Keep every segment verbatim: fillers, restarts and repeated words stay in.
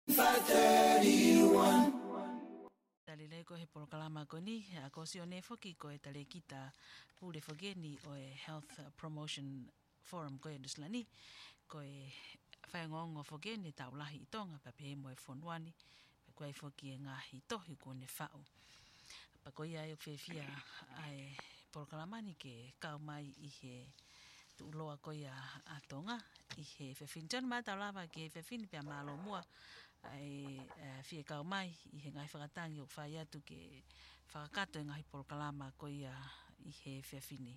five thirty-one. Tali lelei ko e he polokalama ko eni, ʻa ko Sione foki ko e talēkita pule foki eni ʻo e Health Promotion Forum ko e Nuʻusila ni, ko e faiongoongo foki eni tau lahi ʻi Tonga, pea pehē mo e fonua ni, pea ko e foki e ngaahi tohi kuo ne faʻu. Pea ko ia ʻoku fiefia ʻa e polokalama ni ke kau mai ʻi he tuʻuloa ko ia ʻa Tonga, ʻi he efiafi ni. Tonu mai tau lava ki he efiafi ni pea mālō muʻa ʻa e, ʻa e fie kau mai ʻi he ngaahi fakatangi ʻoku fai atu ke fakakakato e ngaahi polokalama ko ia ʻi he efiafi ni.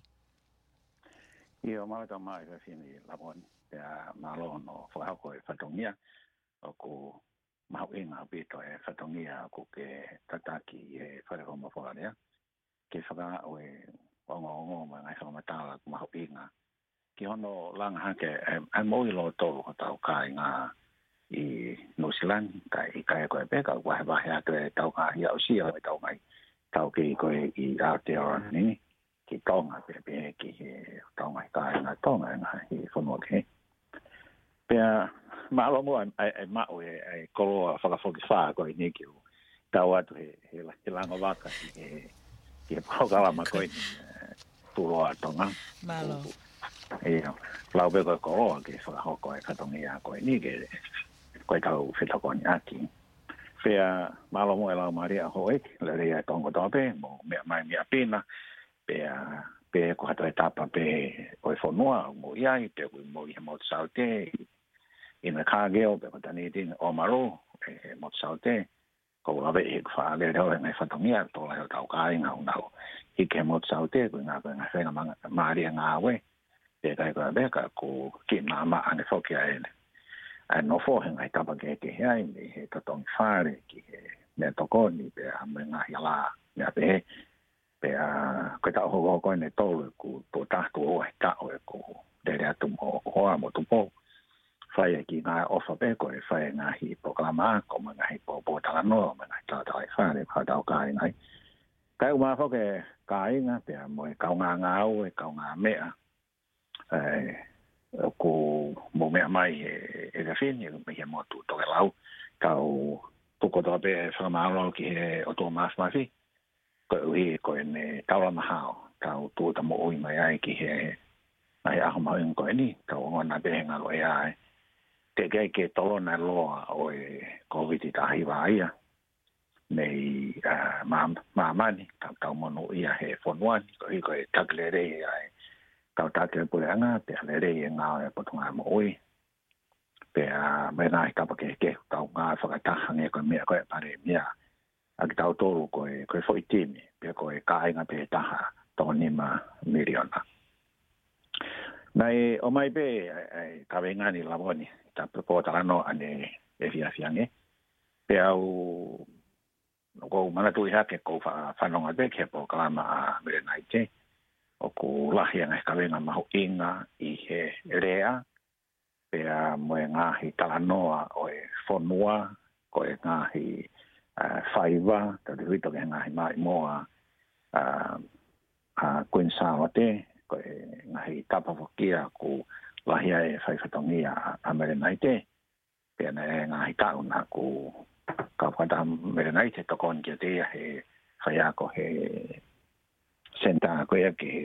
ʻIo, mālō tau mai efiafi ni Lavoni, pea mālō hono fakahoko e fatongia, ʻoku mahuʻinga ʻaupito e fatongia ʻoku ke tataki ʻi he Fale Fofola Lea, ke fakaaʻu e ongoongo mo e ngaahi fakamatala ʻoku mahuʻinga ki hono langa hake e, e moʻui lōtolu hotau kāinga ʻi Nuʻusila ni, kae ʻikai ko e pē ka ʻoku vahevahe atu e tau ngaahi aʻusia ʻo e tau ngaahi taukei ko ē ʻi Aotearoa ni, ki Tonga, pea pehē ki he tau ngaahi kāinga Tonga, e ngaahi fonua kehe. Pea mālō muʻa e, e, e maʻu e, e koloa fakafokifā ko eni ke u tau atu he, he, he lango vaka ki he, ki he polokalama ko eni, e, Tuʻuloa Tonga. Mālō. ʻIo, lau pē ko e koloa ke fakahoko e fatongia ko eni ke, ko e tau fetokoniʻaki. Pea mālō muʻa e lau mālie ʻa houʻeiki, lelei ʻa e tongo tō pē, mou meʻa mai meʻa pina, pea, pea ko ha toe tapa pē ʻo e fonua ʻoku mou ʻi ai, pea ʻoku mou ʻi he motu Saute, ʻi Invercargill, pea ko Dunedin, Oamaru, e motu Saute, ʻoku ou laveʻi he ʻoku faʻa lele ʻo e ngaahi fatongia, tō lahi hotau kāinga ʻoku nau hiki he motu Saute, ko e ngaahi, ko e ngaahi feinga manga-, mālie ngāue, pea ʻikai ko e pē ka ʻoku kiʻi maʻamaʻa ange foki ʻa e, ʻa e nofo he ngaahi tapa kehekehe ai, mei he totongi fale, ki he meʻatokoni, pea mo e ngaahi ala, meʻa pehē. Pea ko e taʻu hokohoko eni ʻe tolu ʻeku tuʻo taha tuʻo ua he taʻu ʻeku lele atu mo hoa mo tupou. Fai e kiʻi ngaahi ʻofa pē ko e fai e ngaahi polokalama ako mo e ngaahi pō, pōtalanoa mo e ngaahi talatalaifale, ko hotau kāinga ai. Kae ʻumaʻā foki e kāinga, pea mo e kaungā ngāue, kaungā meʻa, ʻa ē ʻoku mou meʻa mai he, he efiafi ni, mei he motu tokelau, tau tuku kotoa pē e fakamālō ki he ʻOtua Māfimafi, koeʻuhi ko ʻene taulama hao, tau tūʻuta moʻui mai ai ki he ngaahi ʻaho mahuʻinga ko eni, tau ongona pē he ngalo ʻea ē. Teʻeki ai ke tolona e loa ʻo e Kōviti taha hiva ia mei, ā, mā-, māmani, tau, tau monūʻia he fonua ni, koeʻuhi ko e taki lelei ʻa e kau taki ʻo e puleʻanga, pea lelei e ngāue ʻa e Potungāue Moʻui. Pea mo e ngaahi tapa kehekehe ʻoku tau ngāue fakataha, hangē ko e meʻa ko ē ʻa e Palēmia, ʻa kitautolu ko e, ko e foʻi timi, pea ko e kāinga pē taha, toko nima miliona. Naʻe ʻomai pē ʻa e, ʻa e kaveinga ni Lavoni, ta pe pōtalanoa ʻanenai efiafi ange. Pea u, ʻoku ou manatuʻi hake ʻoku ou fa-, fanongo pē ki he polokalama ʻa Melenaite, ʻoku lahi e ngaahi kaveinga mahuʻinga ʻi he lea, pea mo e ngaahi talanoa ʻo e fonua, ko e ngaahi, ā, faiva, tau te huito ki he ngaahi maʻimoa, ā, ʻa Kuini Sālote, ko e ngaahi tapa foki ia ʻoku lahi ai e fai fatongia ʻa, ʻa Melenaite. Pea naʻe ngaahi taʻu naʻa ku kau fakataha mo Melenaite tokoni kiate ia he faiako he senitā ko ia ki he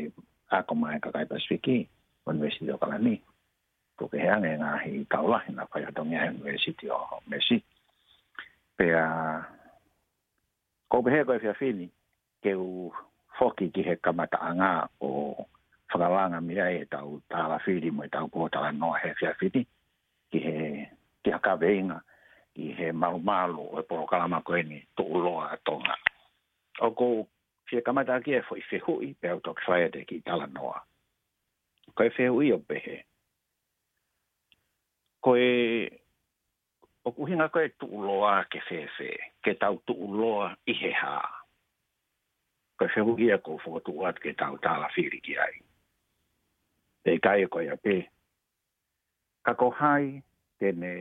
ako maʻá e kakai Pasifiki, ʻUnivēsiti ʻAokalani. Tuku kehe ange ngaahi taʻu lahi naʻa ku fai fatongia he ʻUnivēsiti ʻo Mesi. Pea ʻoku ou pehē ko e efiafi ni, ke u foki ki he kamataʻanga ʻo fakalanga mei ai ʻetau tālafili mo ʻetau pōtalanoa he efiafi ni, ki he, ki ha kaveinga, ki he malumalu ʻo e polokalama ko eni Tuʻuloa Tonga. ʻOku ou fie kamata ʻaki e foʻi fehuʻi, pea u toki fai atu e kiʻi talanoa. Ko e fehuʻi ʻoku pehē: Ko e, ʻoku ʻuhinga ko e tuʻuloa ke fēfē, ke tau tuʻuloa ʻi he hā? Ko e fehuʻi ia ʻoku ou fokotuʻu atu ke tau tālafili ki ai. Pea ʻikai ko ia pē, ka ko hai te ne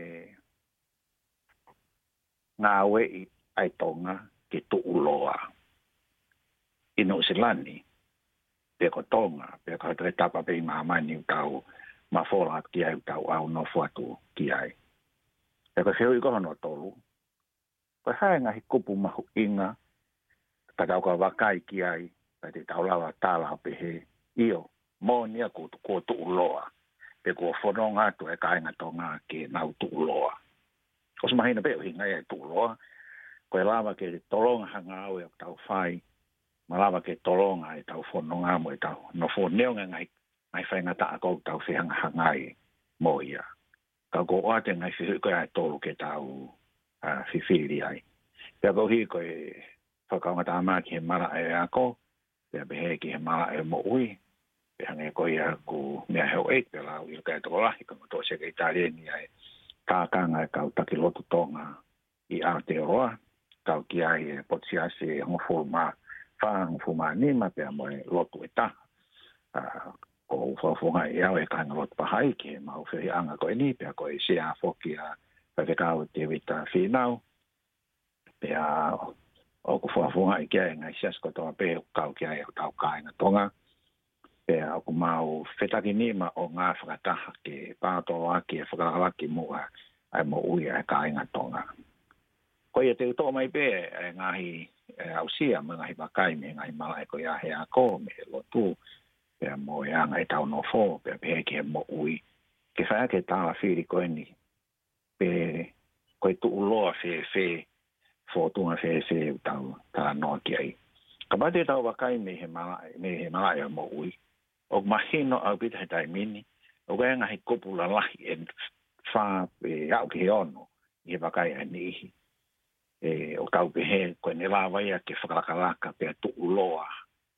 ngāueʻi ʻa e Tonga ke tuʻuloa ʻi Nuʻusila ni, pe ko Tonga, pe ko ha toe tapa pē ʻi māmani ʻoku tau mafola atu ki ai, ʻoku tau ʻaunofo atu ki ai. Pea ko e fehuʻi ko hono tolu, ko e hā e ngaahi kupu mahuʻinga ka tau ka vakai ki ai, ka te tau lava tala ʻo pehē, ʻio, moʻoni ia kuo tu-, kuo tuʻuloa, pe kuo fononga atu e kāinga Tonga ke nau tuʻuloa. ʻOsi mahino pē ʻuhinga ia e tuʻuloa, ko e lava ke tolonga ha ngāue ʻoku tau fai, mo lava ke tolonga ʻetau fononga mo ʻetau nofo neongo e ngaahi, ngaahi faingataʻa ʻoku tau fehangahangai mo ia. Ka ko e ʻoatu e ngaahi fehuʻi ko ia ʻe tolu ke tau, ʻa, fifili ai. Pea koeʻuhi ko e fakaongatama ki he malaʻe ako, pea pehē ki he malaʻe moʻui, pea hangē ko ia ʻoku meʻa he ʻoku ʻi ai pē lau ʻilo ki ai e tokolahi, ko e motuʻa sekelitali eni ʻa e tākanga e kau taki lotu Tonga ʻi Aotearoa, kau ki ai e potu siasi ʻe hongofulu mā fā, hongofulu mā nima, pea mo e lotu ʻe taha. ʻA, ʻoku ou fakafofongaʻi au ʻe he kāingalotu Pahai ki heʻemau feohiʻanga ko eni, pea ko e sea foki ʻa Faifekau Tēvita Fīnau, pea ʻoku fakafofongaʻi ki ai e ngaahi siasi kotoa pē ʻoku kau ki ai hotau kāinga Tonga. Pea ʻoku mau fetakinima ʻo ngāue fakataha ke pātoloaki e fakalakalaka ki muʻa ʻa e moʻui ʻa e kāinga Tonga. Ko ia te u toʻo mai pē ʻa e ngaahi, ʻe, aʻusia mo e ngaahi vakai mei he ngaahi malaʻe ko ia he ako, mei he lotu, pea mo e anga ʻetau nofo, pea pehē ki he moʻui. Ke fai ʻaki e tala fili ko eni, pe ko e tuʻuloa fēfē, fōtunga fēfē ʻoku tau talanoa ki ai. Kapau te tau vakai mei he malaʻe, mei he malaʻe ʻo e moʻui, ʻoku mahino ʻaupito he taimi ni, ʻoku ʻi ai e ngaahi kupu lalahi ʻe fā pe aʻu ki he ono ʻi he vakai ʻa e niʻihi. ʻE, ʻoku tau pehē, ko ʻene lava ia ke fakalakalaka pea tuʻuloa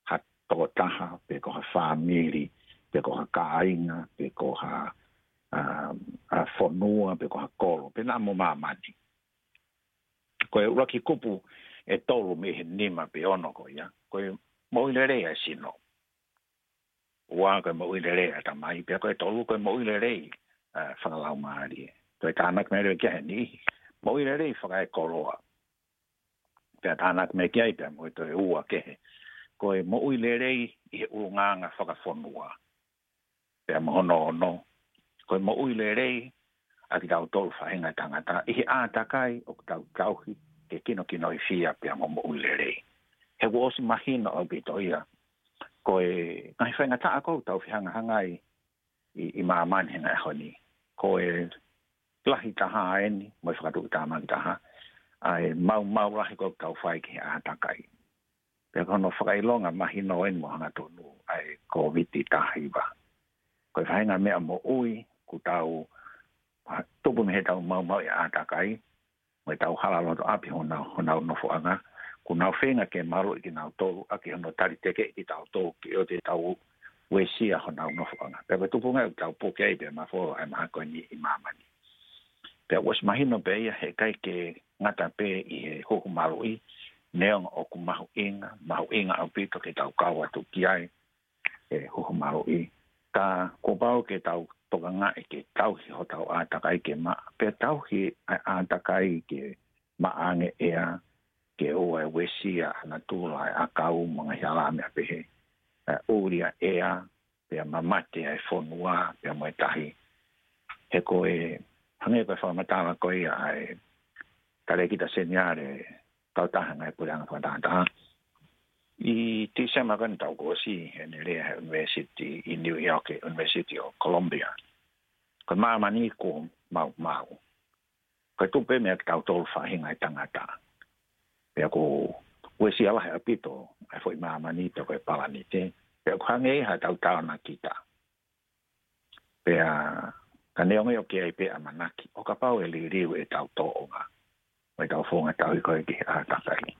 ha tokotaha, pe ko ha fāmili, pe ko ha kāinga, pe ko ha, ʻa, ʻa, fonua, pe ko ha kolo, pe naʻa mo māmani. Ko e ʻuluaki kupu ʻe tolu mei he nima pe ono ko ia, ko e moʻui lelei ʻa e sino. Ua, ko e moʻui lelei ʻa e ʻatamai, pea ko e tolu, ko e moʻui lelei, ʻa, fakalaumālie. Ko e tānaki mai leva ki ai ʻe he niʻihi, moʻui lelei fakaekoloa. Pea tānaki mai ki ai pea mo e toe ua kehe, ko e moʻui lelei ʻi he ʻulungaanga fakafonua. Pea mo hono ono, ko e moʻui lelei ʻa kitautolu faʻahinga ʻo e tangata ʻi he ʻātakai ʻoku tau tauhi ke kinokinoifia pea mo moʻui lelei. He kuo ʻosi mahino ʻaupito ia, ko e ngaahi faingataʻa ʻoku tau fehangahangai ʻi, ʻi māmani he ngaahi ʻaho ni, ko e lahi taha eni, mo e fakatuʻutāmaki taha, ʻa e maumau lahi ʻoku tau fai ki he ʻātakai. Pea ko hono fakaʻilonga mahino eni mo hangatonu ʻa e Kōviti taha hiva. Ko e faʻahinga meʻa moʻui ʻoku tau, ʻa, tupu mei heʻetau maumau ʻi he ʻātakai, mo ʻetau hala loto ʻapi honau, honau nofoʻanga, ʻoku nau feinga ke maluʻi kinautolu, ʻaki hono taliteke kitautolu ke ʻoua te tau uesia honau nofoʻanga. Pea ko e tupuʻanga ʻoku tau puke ai pea mafola ʻa e mahaki ko eni ʻi māmani. Pea ʻoku ʻosi mahino pē ia he ʻikai ke ngata pē ʻi he huhu maluʻi, neongo ʻoku mahuʻinga, mahuʻinga ʻaupito ke tau kau atu ki ai, ʻe huhu maluʻi. Ka kuo pau ke tau tokangaʻi ke tauhi hotau ʻātakai ke maʻa, pea tauhi ʻa e ʻātakai ke maʻa ange ʻea, ke ʻoua ʻe uesia ʻa natula ʻa e ʻakau mo e ngaahi hala meʻa pehē. ʻE ʻuli ʻa e ʻea, pea mamate ʻa e fonua, pea mo e tahi. He ko e, hangē ko e fakamatala ko ia ʻa e Talēkita Seniale, kautaha ngaahi puleʻanga fakatahataha. ʻI Tīsema ko eni taʻu kuo ʻosi, heʻene lea he university ʻi New York, he University of Columbia. Ko māmani kuo maumau. Ko e tupu pē meia kitautolu faʻahinga ʻo e tangata. Pea ʻoku uesia lahi ʻaupito ʻa e foʻi māmani pea ko e palanite. Pea ʻoku hangē ia ha tau taonakita. Pea ka neongo ia ʻoku ʻi ai pē ʻamanaki, ʻo kapau ʻe liliu ʻetau tōʻonga, mo ʻetau founga tauhi ko ē ki he ʻātakai.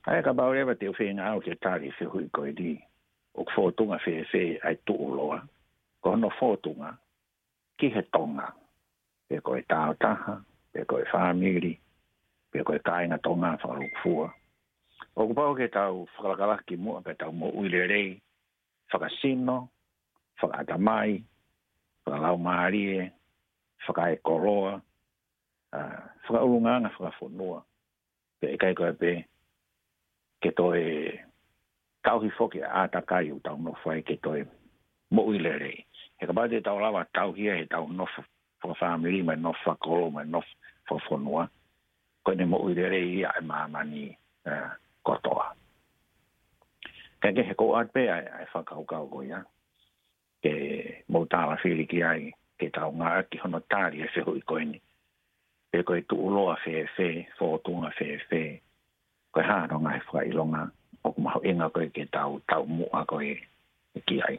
ʻA ia kapau leva te u feinga au ke tali e fehuʻi ko eni, ʻoku fōtunga fēfē ʻa e tuʻuloa, ko hono fōtunga ki he Tonga, pe ko e tāutaha, pe ko e fāmili, pe ko e kāinga Tonga fakalūkufua. ʻOku pau ke tau fakalakalaka ki muʻa pea tau moʻui lelei, fakasino, fakaʻatamai, fakalaumālie, fakaekoloa, ʻa, fakaʻulungaanga fakafonua. Pea ʻikai ko ia pē, ke toe tauhi foki ʻa e ʻātakai ʻoku tau nofo ai ke toe moʻui lelei. He kapau te tau lava tauhi ia heʻetau nofo fakafāmili, mo e nofo fakakolo, mo e nofo fakafonua. Ko ʻene moʻui lelei ia ʻa e māmani, ē, kotoa. Kae kehe, ʻoku ou ʻoatu pē ʻa e, ʻa e fakakaukau ko ia ke mou tālafili ki ai, ke tau ngāueʻaki hono tali e fehuʻi ko eni. Pe ko e tuʻuloa fēfē, fōtunga fēfē, ko e hā hono ngaahi fakaʻilonga ʻoku mahuʻinga ko ē ke tau, tau muʻa ko ē ki ai.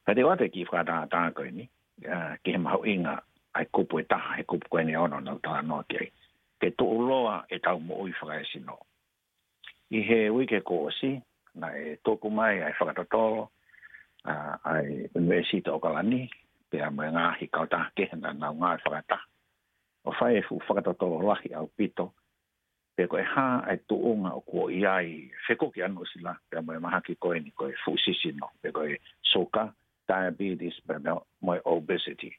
Ka te u ʻoatu e kiʻi fakatātā ko eni, ā, ki he mahuʻinga ʻa e kupu ʻe taha he kupu ko eni ʻoku nau talanoa ki ai. Ke tuʻuloa ʻetau moʻui fakaesino. ʻI he uike kuo ʻosi, naʻe tuku mai ʻa e fakatotolo, ā, ʻa e ʻUnivēsiti ʻAokalani, pea mo e ngaahi kautaha kehe naʻa nau ngāue fakataha ʻo fai e fuʻu fakatotolo lahi ʻaupito, pe ko e hā ʻa e tuʻunga ʻoku ʻi ai e fekuki ʻa Nuʻusila, pea mo e mahaki ko eni ko e fuʻu sisino, pe ko e suka, diabetes, pea mo e obesity.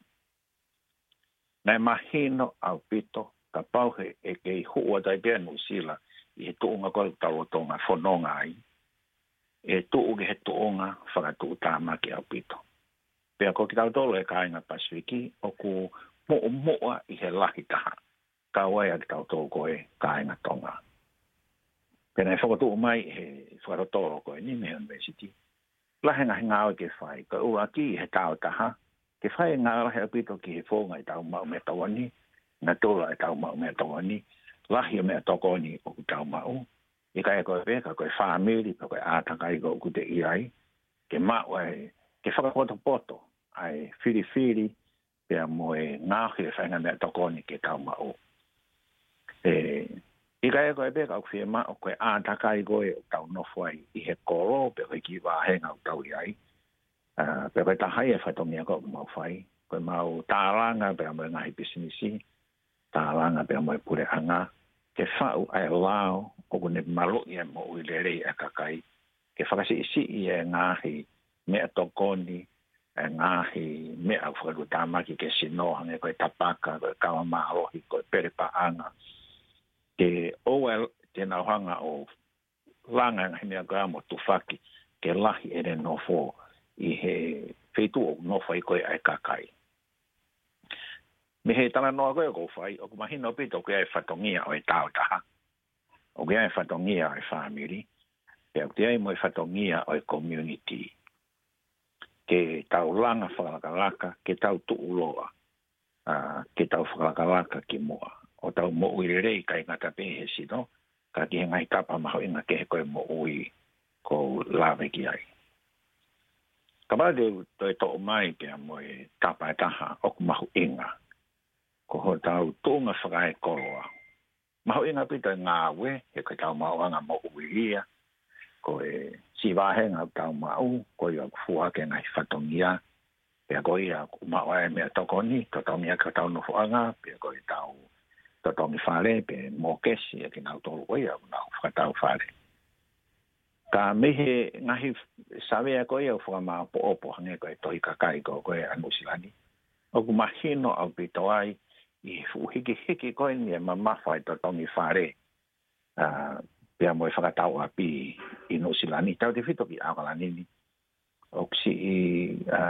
Naʻe mahino ʻaupito, kapau he ʻe kei hū atu ai pē ʻa Nuʻusila ʻi he tuʻunga ko ē ʻoku tau lolotonga fononga ai, ʻe tuʻu ki he tuʻunga fakatuʻutāmaki ʻaupito. Pea ko kitautolu e kāinga Pasifiki, ʻoku muʻomuʻa ʻi he lahi taha, kau ai ʻa kitautolu ko e kāinga Tonga. Pea naʻe fokotuʻu mai he fakatotolo ko eni mei he ʻunivēsiti, lahi e ngaahi ngāue ke fai, ko e ʻuluaki he taʻu taha, ke fai e ngāue lahi ʻaupito ki he founga ʻetau maʻu meʻatokoni, natula ʻetau maʻu meʻatokoni, lahi e meʻatokoni ʻoku tau maʻu, ʻikai ko e pē ka ko e fāmili, pe ko e ʻātakai ko ē ʻoku te ʻi ai, ke maʻu ai, ke fakapotopoto ʻa e filifili, pea mo e ngaohi e faʻahinga meʻatokoni ke tau maʻu. ʻE, ʻikai ko e pē ka ʻoku fiemaʻu ko e ʻātakai ko ē ʻoku tau nofo ai ʻi he kolo, pe ko e kiʻi vāhenga ʻoku tau ʻi ai. Ā, pea ko e taha ia e fatongia ko ē ʻoku mau fai, ko e mau tālanga pea mo e ngaahi pisinisi, tālanga pea mo e puleʻanga, ke faʻu ʻa e lao ʻoku ne maluʻi e moʻui lelei ʻa e kakai, ke fakasiʻisiʻi e ngaahi meʻatokoni, e ngaahi meʻa ʻoku fakatuʻutāmaki ki he sino, hangē ko e tapaka, ko e kava mālohi, ko e pele paʻanga. Ke ʻoua te nau hanga ʻo langa e ngaahi meʻa ko ia mo tufaki ke lahi ʻene nofo ʻi he feituʻu ʻoku nofo ai ko ē ʻa e kakai. Mei he talanoa ko ē ʻoku ou fai, ʻoku mahino ʻaupito ʻoku ʻi ai e fatongia ʻo e taʻu taha, ʻoku ʻi ai e fatongia ʻo e fāmili, pea ʻoku ʻi ai mo e fatongia ʻo e community. Ke tau langa fakalakalaka, ke tau tuʻuloa, ā, ke tau fakalakalaka ki muʻa. ʻO tau moʻui lelei ʻikai ngata pē he sino, ka ki he ngaahi tapa mahuʻinga kehe ko ē moʻui ʻoku ou lave ki ai. Kapau te u toe toʻo mai pea mo e tapa ʻe taha ʻoku mahuʻinga, ko hotau tuʻunga fakaekoloa. Mahuʻinga ʻaupito e ngāue, he ko ʻetau maʻuʻanga moʻui ia, ko e siʻi vāhenga ʻoku tau maʻu, ko ia ʻoku fua ʻaki e ngaahi fatongia, pea ko ia ʻoku maʻu ai e meʻatokoni, totongi ʻaki hotau nofoʻanga, pea ko ʻetau totongi fale, pe mōkesi ʻa kinautolu ko ia ʻoku nau fakatau fale. Ka mei he ngaahi savea ko ia ʻoku fakamāʻopoʻopo hangē ko e tohi kakai ko ē ʻa Nuʻusila ni, ʻoku mahino ʻaupito ai ʻi he fuʻu hikihiki ko eni e mamafa e totongi fale, ā, pea mo e fakatau ʻapi ʻi Nuʻusila ni, tautefito ki ʻAokalani ni. ʻOku siʻi, ā,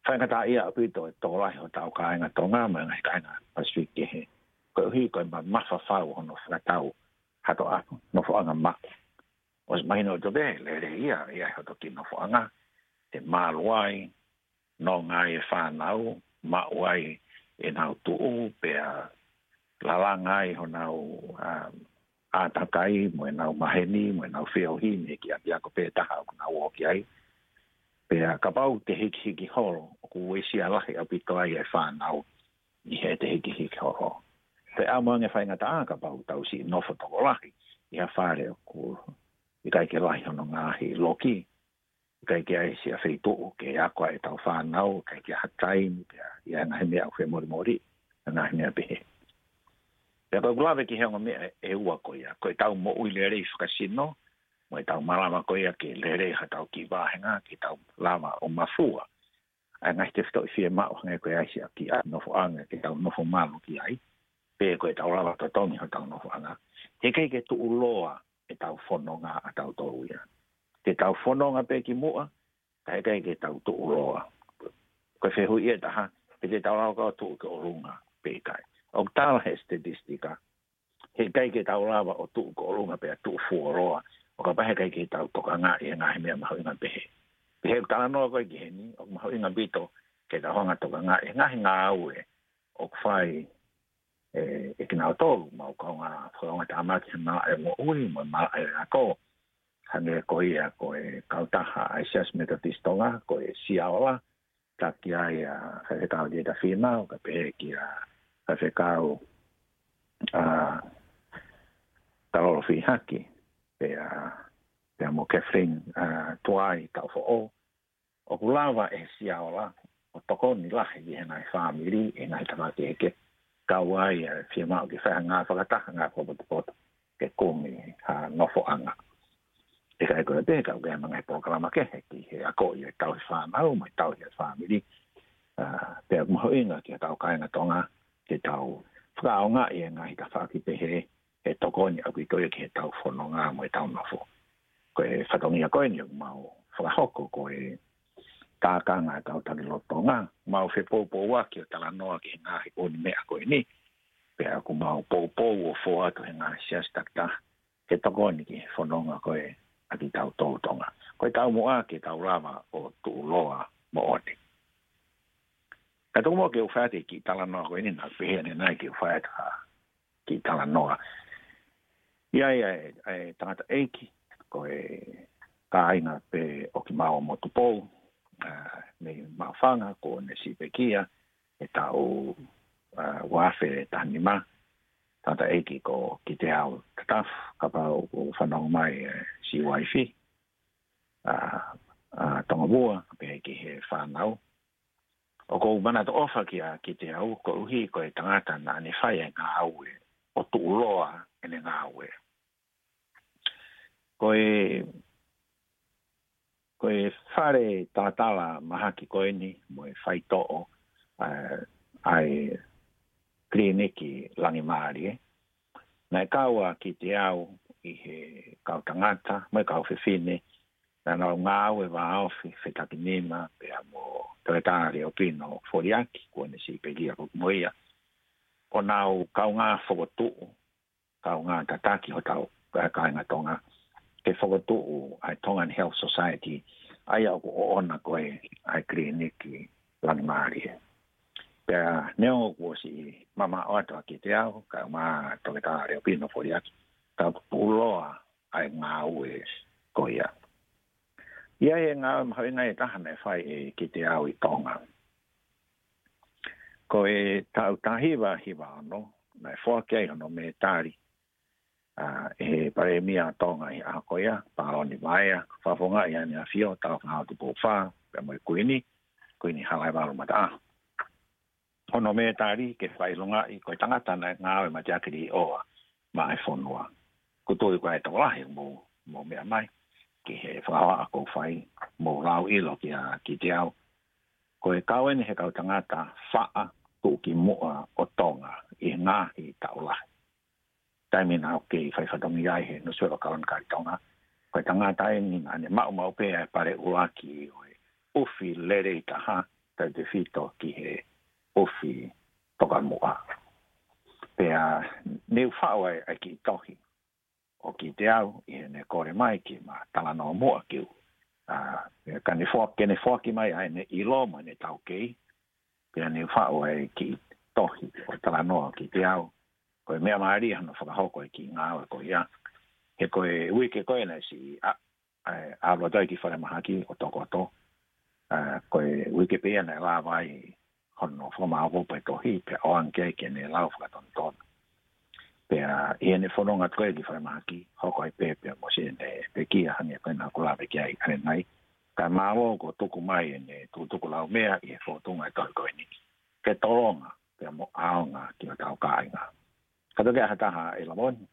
faingataʻaʻia ʻaupito e tokolahi hotau kāinga Tonga mo e ngaahi kāinga Pasifiki kehe, koeʻuhi ko e mamafa fau hono fakatau hato ʻa nofoʻanga maʻu. ʻOsi mahino ʻaupito pē, lelei ia, ʻi ai hoto kiʻi nofoʻanga, te malu ai, nonga ai e fānau, maʻu ai ʻenau tuʻu, pea lalanga ai honau, ā, ʻātakai, mo ʻenau maheni, mo ʻenau feohi, mei he kiʻi ʻapiako pē taha ʻoku nau ō ki ai. Pea kapau te hikihiki holo, ʻoku uesia lahi ʻaupito ai e fānau ʻi heʻete hikihiki holo. Pea ʻamu ange faingataʻa kapau tau siʻi nofo tokolahi ʻi ha fale ʻoku ʻikai ke lahi hono ngaahi loki, ʻikai ke ʻi ai siʻa feituʻu ke ako ai ʻetau fānau, ʻikai ke ʻi ai ha taimi, pea ʻi ai e ngaahi meʻa ʻoku femolimoli, ngaahi meʻa pehē. Pea ko ʻeku lave ki he ongo meʻa ʻe ua ko ia, ko ʻetau moʻui lelei fakasino, mo ʻetau malava ko ia ke lelei hotau kiʻi vāhenga, ke tau lava ʻo mafua ʻa e ngaahi tefitoʻi fiemaʻu hangē ko e ʻi ai siʻa kiʻi nofoʻanga ke tau nofo malu ki ai, pe ko ʻetau lava totongi hotau nofoʻanga. He ʻikai ke tuʻuloa ʻetau fononga ʻatautolu ia. Te tau fononga pē ki muʻa, ka heʻikai ke tau tuʻuloa. Ko e fehuʻi ʻe taha, pe te tau lava ʻo tuʻu ki ʻolunga pe ʻikai. ʻOku tala he statistika, heʻikai ke tau lava ʻo tuʻu ki ʻolunga pea tuʻu fuoloa, ʻo kapau heʻikai ke tau tokangaʻi e ngaahi meʻa mahuʻinga pehē. Pea he talanoa ko ē ki heni, ʻoku mahuʻinga ʻaupito ke tau hanga ʻo tokangaʻi e ngaahi ngāue ʻoku fai ʻe, ʻe kinautolu, ʻemau kaungā, kaungā tāmaki he malaʻe moʻui, mo e malaʻe ako. Hangē ko ia ko e kautaha ʻa e Siasi Metotisi Tonga, ko e Siaola, taki ai ʻa Faifekau Lieta Fimau, kae pehē kia Faifekau, ʻa, Talolo Fihaki, pea, pea mo Kathleen, ʻa, Tuai Taufoʻou, ʻoku lava ʻe he Siaola ʻo tokoni lahi ki he ngaahi fāmili, ʻi he ngaahi tafaʻaki kehekehe, kau ai ʻa e fiemaʻu ke fai ha ngāue fakataha, ngāue fakapotopoto, ke kumi ha nofoʻanga. ʻIkai ko e pehē, ka ʻoku ʻi ai mo e ngaahi polokalama kehe ki he akoʻi e tauhi fānau, mo e tauhi e fāmili. ʻA, pea mahuʻinga ki he kau kāinga Tonga, ke tau fakaʻaongaʻi e ngaahi tafaʻaki pehē, he tokoni ʻaupito ia ki heʻetau fononga mo ʻetau nofo. Ko e fatongia ko eni ʻoku mau fakahoko ko e tākanga ʻa e kau taki lotu Tonga, mau fepoupouaki ʻo talanoa ki he ngaahi ʻū meʻa ko eni, pea ʻoku mau poupou ʻo fō atu he ngaahi siasi takitaha, ke tokoni ki he fononga ko ē ʻa kitautolu Tonga. Ko e taumuʻa ke tau lava ʻo tuʻuloa moʻoni. Ka tuku muʻa ke u fai atu e kiʻi talanoa ko eni, naʻa ku pehē ʻanenai ke u fai atu ha kiʻi talanoa. ʻI ai ʻa e, ʻa e tangataʻeiki, ko e kāinga pē ʻo Kimau Motupou, ʻa, mei Maʻufanga, kuo ne siʻi pekia he taʻu, ʻa, ua afe taha nima, tangataʻeiki ko Kiteau Tatafu, kapau ʻoku fanongo mai e siʻi uaifi, ʻa, ʻa Tongavua, pehē ki he fānau. ʻOku ou manatu ʻofa kia Kiteau, koeʻuhi ko e tangata naʻa ne fai e ngāue ʻo tuʻuloa ʻene ngāue. Ko e, ko e fale talatala mahaki ko eni mo e faitoʻo, ʻa, ʻa e kiliniki Langimālie. Naʻe kau ʻa Kiteau ʻi he kau tangata mo e kau fefine naʻa nau ngāue vāofi, Fetakinima pea mo Toketā Leopino Foliaki, kuo ne siʻi pekia foki mo ia, ʻo nau kaungā fokotuʻu, kaungā tataki hotau kāinga Tonga ke fokotuʻu ʻa e Tongan Health Society, ʻa ia ʻoku ʻoʻona ko ē ʻa e kiliniki Langimālie. Pea neongo kuo siʻi mamaʻo atu ʻa Kiteau, kae ʻumaʻā Toketā Leopino Foliaki, ka ʻoku tuʻuloa ʻa e ngāue ko ia. ʻI ai e ngāue mahuʻinga ʻe taha naʻe fai ʻe Kiteau ʻi Tonga. Ko e taʻu taha hiva hiva ono, naʻe foaki ai hono mētali, ʻa, ʻe he Palēmia ʻo Tonga ʻi he ʻaho ko ia, Paloni Vaea, fakafofongaʻi ʻe Haʻane ʻAfio Taufaʻahau Tupou Fā, pea mo e Kuini, Kuini Halaevalu Mataʻaho. Hono mētali ke fakaʻilongaʻi ko e tangata naʻe ngāue mateaki līʻoa maʻa e fonua. ʻOku ou tui ko e tokolahi mou, mou meʻa mai ki he fakahohaʻa ʻoku ou fai, mou lau ʻilo kia Kiteau. Ko e kau eni he kau tangata faʻa tuʻukimuʻa ʻo Tonga ʻi he ngaahi taʻu lahi. Taimi naʻa ku kei fai fatongia ai he nusipepa Kalona Kali Tonga, ko e tangata eni naʻa ne maʻu maʻu pē ʻa e pale ʻuluaki ʻo e ʻufi lelei taha, tautefito ki he ʻufi tokamuʻa. Pea ne u faʻu ai ʻa e kiʻi tohi ʻo Kiteau ʻi heʻene kole mai ke ma talanoa muʻa ki ai. ʻA, ka ne foa-, ke ne foaki mai ʻa ʻene ʻilo mo ʻene taukei, pea ne u faʻu ai e kiʻi tohi ʻo e talanoa ʻo Kiteau. Ko e meʻa mālie hono fakahoko e kiʻi ngāue ko ia. He ko e uike ko ē naʻe siʻi, ʻa, ʻa, ʻalu atu ai ki falemahaki ʻo tokoto. ʻA, ko e uike pē ia naʻe lava ai hono fakamāʻopoʻopo e tohi, pea ʻoange ki ai ke ne lau fakatonutonu. Pea ʻi heʻene fononga atu ko ē ki falemahaki, hoko ai pē pea mo siʻene pekia hangē ko ē naʻa ku lave ki ai ʻanenai. Kae mālō kuo tuku mai ʻene tukutuku laumea ʻi he fōtunga e tohi ko eni, ke tolonga pea mo ʻaonga ki hotau kāinga. Ka toki ʻi ai ha taha ʻi Lamoni,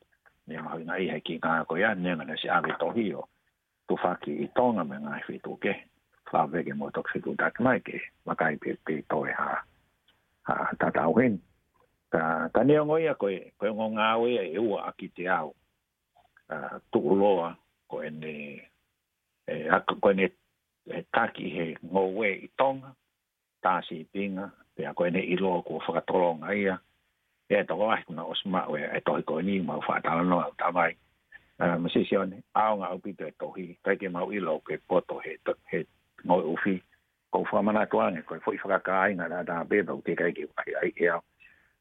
ne mahuʻingaʻia he kiʻi ngāue ko ia, neongo naʻe siʻi ʻave e tohi ʻo tufaki ʻi Tonga mo e ngaahi feituʻu kehe. Lava pē ke mou toki fetuʻutaki mai ke vakai pe, pe toe ha, ha tatau heni. Ka, ka neongo ia ko e, ko e ongo ngāue ia ʻe ua ʻa Kiteau, ʻa, tuʻuloa ko ʻene, ʻe, ʻa, ko ʻene, ʻe, taki he ngoue ʻi Tonga, tā sīpinga, pea ko ʻene ʻilo kuo fakatolonga ia. ʻE tokolahi kuo na ʻosi maʻu e, e tohi ko eni, mau faʻa talanoa ʻo tavai. Ā, Misi Sione, ʻaonga ʻaupito e tohi, ʻikai ke mau ʻilo ke poto he, to-, he ngoue ʻufi. Ko u fakamanatu ange, ko e foʻi fakakāinga ʻa e taha pē, pea ʻoku teʻeki ai ke u ʻai, ʻai ʻe au.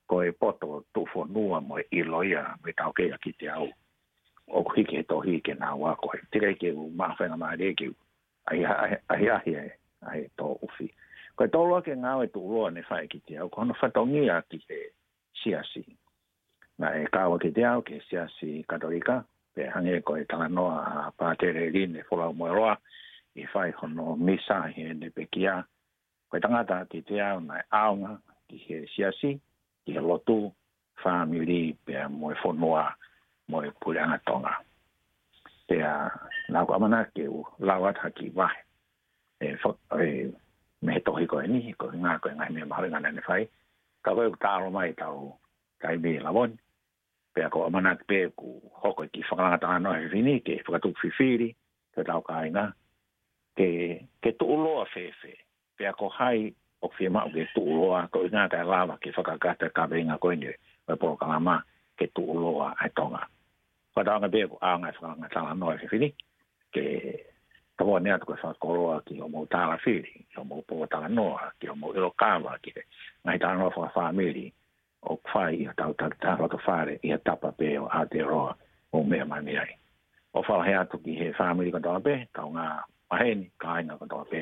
Ko e poto tuʻufonua mo e ʻilo ia, mo e taukei ʻa Kiteau. ʻOku hiki he tohi ke nau ako ai. Teʻeki ai ke u maʻu faingamālie ke u ʻai, ʻai, ʻai, ʻai, ʻai, ʻai e tō ʻufi. Ko e tolu ake ngāue tuʻuloa ne fai ʻe Kiteau, ko hono fatongia ki he siasi. Naʻe kau ʻa Kiteau ki he siasi Katolika, pea hangē ko e talanoa ʻa Pātele Line Folaumoeloa, ʻi he fai hono misa heʻene pekia. Ko e tangata ʻa Kiteau naʻe ʻaonga ki he siasi, ki he lotu, fāmili, pea mo e fonua, mo e puleʻanga Tonga. Pea naʻa ku ʻamanaki ke u lau atu ha kiʻi vahe. E, fo-, e, mei he tohi ko eni, ko e ngaahi, ko e ngaahi meʻa mahuʻinga naʻa ne fai. Ka ko e ʻoku taʻalo mai ʻetau taimi ʻi Lavoni. Pea ko e ʻamanaki pē ʻoku hoko e kiʻi fakalanga talanoa he efiafi ni, ke fakatupu fifili, ke tau kāinga, ke, ke tuʻuloa fēfē. Pea ko hai ʻoku fiemaʻu ke tuʻuloa, ko e ʻuhinga ʻikai lava ke fakakakato e kaveinga ko eni ʻo e polokalama ke tuʻuloa ʻa e Tonga. Ko e tauanga pē ʻoku ʻaonga e fakalanga talanoa he efiafi ni, ke tokoni atu ko e fakakoloa ki hoʻomou tālafili, ki hoʻomou pō talanoa, ki hoʻomou ʻilo kava, ki he ngaahi talanoa fakafāmili, ʻoku fai ʻi hotau takitaha loto fale ʻi ha tapa pē ʻo Aotearoa ʻo meʻa mai ai. ʻOfa lahi atu ki he fāmili kotoa pē, kaungā maheni, kāinga kotoa pē,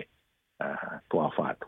ā, tuʻa ʻofa atu.